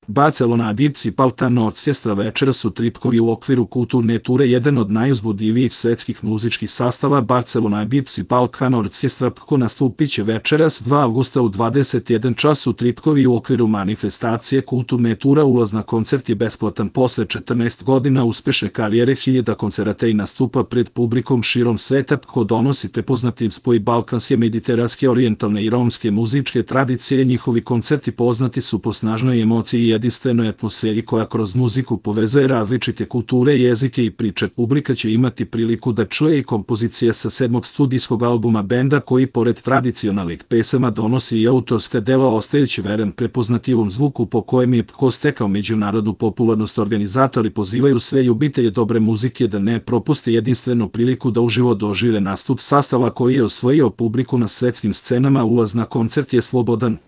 Barcelona Dipsi Paltan Orkestra večeras su Tripkovi u okviru kulturne ture jedan od najuzbudljivijih svetskih muzičkih sastava. Barcelona Dipsi Paltan Orkestra nastupit će večeras 2. avgusta u 21 čas u Tripkovi u okviru manifestacije kulturne tura. Ulaz na koncert je besplatan. Posle 14 godina uspešne karijere, hiljada koncerata i nastupa pred publikom širom sveta, ko donosi prepoznativ spoj balkanske, mediteranske, orijentalne i romske muzičke tradicije. Njihovi koncerti poznati su po snažnoj emociji i jedinstvenoj atmosferi koja kroz muziku povezuje različite kulture, jezike i priče. Publika će imati priliku da čuje i kompozicije sa 7. studijskog albuma benda, koji pored tradicionalnih pesama donosi i autorska dela, ostajući veren prepoznativom zvuku po kojem je stekao međunarodnu popularnost. Organizatori pozivaju sve ljubitelje dobre muzike da ne propuste jedinstvenu priliku da uživo dožive nastup sastava koji je osvojio publiku na svetskim scenama. Ulaz na koncert je slobodan.